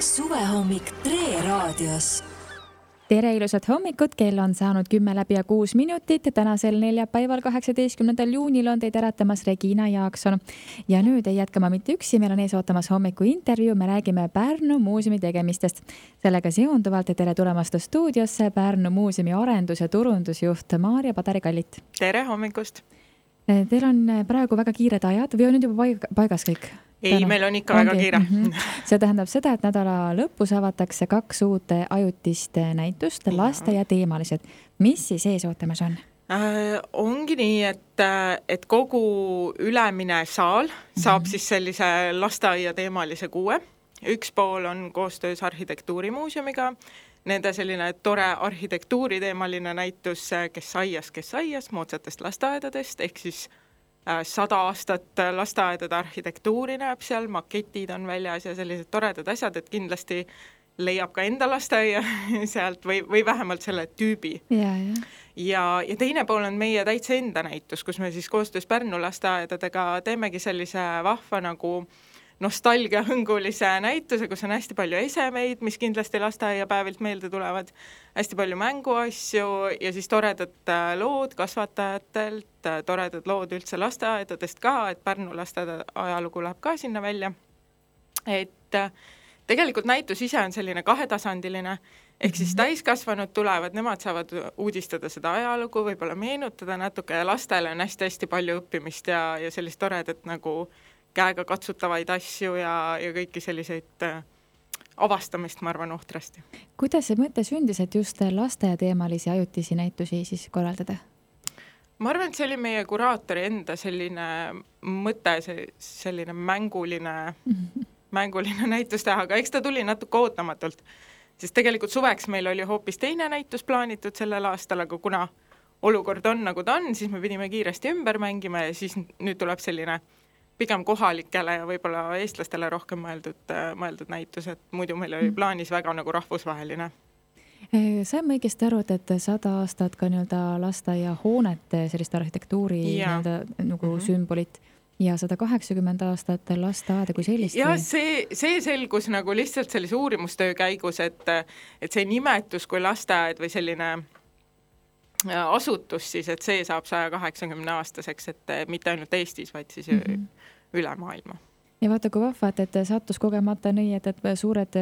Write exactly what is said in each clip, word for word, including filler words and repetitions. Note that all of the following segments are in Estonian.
Suvehommik Tre raadios. Tere ilusat hommikut, kell on saanud kümme läbi ja kuus minutit. Tänasel neljapäeval kaheksateistkümnendal juunil on teid äratamas Regina Jaakson. Ja nüüd ei jätkama mitte üksi, meil on ees ootamas hommiku intervjuu. Me räägime Pärnu muuseumi tegemistest. Sellega seonduvalt tere tulemast stuudiosse Pärnu muuseumi arendus- ja turundusjuht Maarja Padari-Kallit. Tere hommikust! Teil on praegu väga kiired ajad või on nüüd juba paigas kõik? Ei, Tänu. Meil on ikka Ongi. väga kiire. Mm-hmm. See tähendab seda, et nädala lõpus avatakse kaks uut ajutist näitust, laste ja teemalised. Mis siis ees ootamas on? Äh, ongi nii, et, et kogu ülemine saal saab mm-hmm. siis sellise lasteaia teemalise kuue. Üks pool on koostöös arhitektuurimuuseumiga. Nende selline tore arhitektuuri teemaline näitus Kes aias, kes aias, moodsatest lasteaedadest, ehk siis sada aastat lasteaedade arhitektuuri näeb seal, maketid on väljas ja sellised toredad asjad, et kindlasti leiab ka enda lasteaia sealt või, või vähemalt selle tüübi. Ja, ja. Ja, ja teine pool on meie täitsa enda näitus, kus me siis koostöös Pärnu lasteaedadega teemegi sellise vahva nagu nostalgia hõngulise näituse, kus on hästi palju esemeid, mis kindlasti lasteaiapäevilt meelde tulevad, hästi palju mänguasju ja siis toredad lood kasvatajatelt, toredad lood üldse lasteaedadest ka, et Pärnu lasteaeda ajalugu läheb ka sinna välja. Et tegelikult näitus ise on selline kahetasandiline, ehk siis täiskasvanud tulevad, nemad saavad uudistada seda ajalugu, võib-olla meenutada natuke ja lastele on hästi-hästi palju õppimist ja, ja sellist toredat nagu käega katsutavaid asju ja, ja kõiki selliseid äh, avastamist, ma arvan, ohtrasti. Kuidas see mõte sündis, et just laste teemalisi ajutisi näitusi siis korraldada? Ma arvan, et see oli meie kuraatori enda selline mõte, see, selline mänguline, mm-hmm. mänguline näitus teha, aga eks ta tuli natuke ootamatult, sest tegelikult suveks meil oli hoopis teine näitus plaanitud sellel aastal, aga kuna olukord on nagu ta on, siis me pidime kiiresti ümber mängima ja siis nüüd tuleb selline pigem kohalikele ja võib-olla eestlastele rohkem mõeldud, mõeldud näitus, et muidu meil oli plaanis väga nagu rahvusvaheline. Saime õigesti aru, et sada aastat ka nii-öelda lasteaia hoonete sellist arhitektuuri nii-öelda nagu mm-hmm. sümbolit ja sada kaheksakümmend aastat lasteaeda kui sellist. Ja see, see selgus nagu lihtsalt sellise uurimustöö käigus, et, et see nimetus kui lasteaed või selline asutus siis, et see saab saja kaheksakümne aastaseks, et mitte ainult Eestis, vaid siis mm-hmm. üle maailma. Ja vaata, kui vahvad, et sattus kogemata nii, et, et suured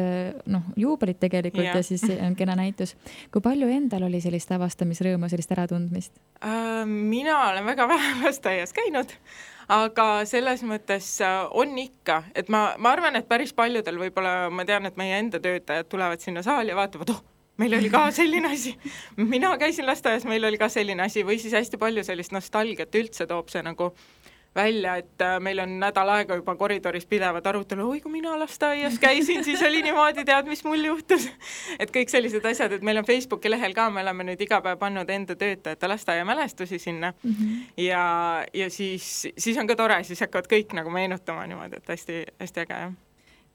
noh, juubelid tegelikult ja. ja siis on kena näitus. Kui palju endal oli sellist avastamisrõõmu, sellist äratundmist? Äh, mina olen väga vähe lasteaias käinud, aga selles mõttes on ikka, et ma, ma arvan, et päris paljudel võib-olla, ma tean, et meie enda töötajad tulevad sinna saali ja vaatavad, oh, meil oli ka selline asi. Mina käisin lasteaias, meil oli ka selline asi või siis hästi palju sellist nostalgiat üldse toob see nagu välja, et meil on nädal aega juba koridoris pidevad arutelu, oi kui mina lasteaias käisin, siis oli niimoodi, tead, mis mul juhtus. Et kõik sellised asjad, et meil on Facebooki lehel ka, me oleme nüüd iga päev pannud enda töötajate lasteaia mälestusi sinna mm-hmm. ja, ja siis, siis on ka tore, siis hakkavad kõik nagu meenutama niimoodi, et hästi, hästi äge jah.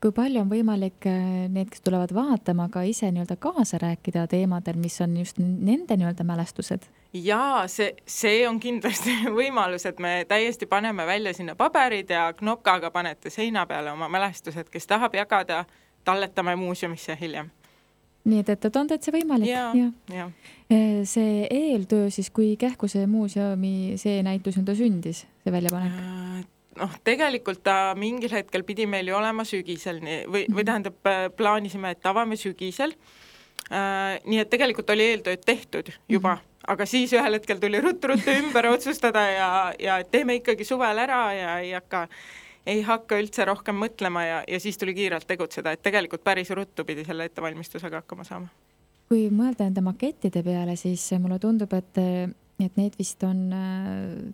Kui palju on võimalik need, kes tulevad vaatama, ka ise nii-öelda kaasa rääkida teemadel, mis on just nende nii-öelda mälestused? Jaa, see, see on kindlasti võimalus, et me täiesti paneme välja sinna paberid ja knopkaga panete seina peale oma mälestused, kes tahab jagada, talletame muuseumisse hiljem. Nii, et, et on täitsa võimalik. Ja, ja. Ja. See eeltöö siis, kui kähku see muuseumi see näitus nüüd sündis, see väljapanek? Äh, noh, tegelikult ta mingil hetkel pidi meil ju olema sügisel või, või tähendab, plaanisime, et avame sügisel. Äh, nii et tegelikult oli eeltööd tehtud juba, mm-hmm. aga siis ühel hetkel tuli ruttu-ruttu ümber otsustada ja, ja teeme ikkagi suvel ära ja ei hakka, ei hakka üldse rohkem mõtlema ja, ja siis tuli kiirelt tegutseda, et tegelikult päris ruttu pidi selle ettevalmistusega hakkama saama. Kui mõelda enda makettide peale, siis mulle tundub, et et need vist on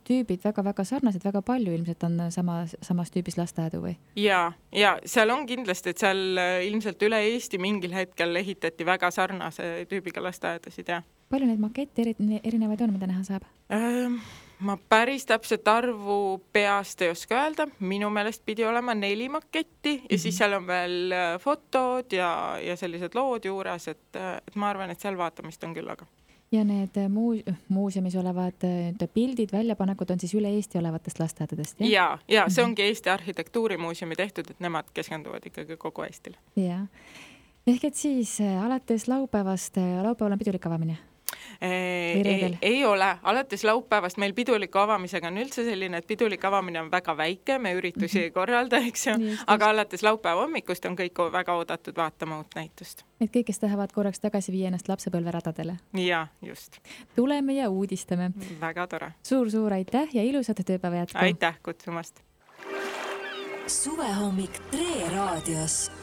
tüübid väga-väga sarnased, väga palju ilmselt on sama, samas tüübis lasteaedu või? Ja, ja seal on kindlasti, et seal ilmselt üle Eesti mingil hetkel ehitati väga sarnase tüübiga lasteaedasid, jah. Palju neid makette erinevaid on, mida näha saab? Ähm, ma päris täpselt arvu peast ei oska öelda, minu meelest pidi olema neli maketti ja mm-hmm. siis seal on veel fotod ja, ja sellised lood juures, et, et ma arvan, et seal vaatamist on küll, aga ja need muu, muuseumis olevad pildid, väljapanekud on siis üle Eesti olevatest lasteaedadest, jah? Ja, ja see ongi Eesti Arhitektuurimuuseumi tehtud, et nemad keskenduvad ikkagi kogu Eestile. Ja. Ehk et siis alates laupäevast, laupäeval on pidulik avamine? Ei, ei, ei ole, alates laupäevast meil piduliku avamisega on üldse selline, et pidulik avamine on väga väike, me üritusi mm -hmm. ei korralda, eks ju, just, aga just. Alates laupäeva hommikust on kõik väga oodatud vaatama uut näitust. Et kõik, kes tahavad korraks tagasi viia ennast lapsepõlveradadele. Ja, just. Tuleme ja uudistame. Väga tore. Suur-suur aitäh ja ilusat tööpäeva jätku. Aitäh kutsumast. Suvehommik Tre raadios.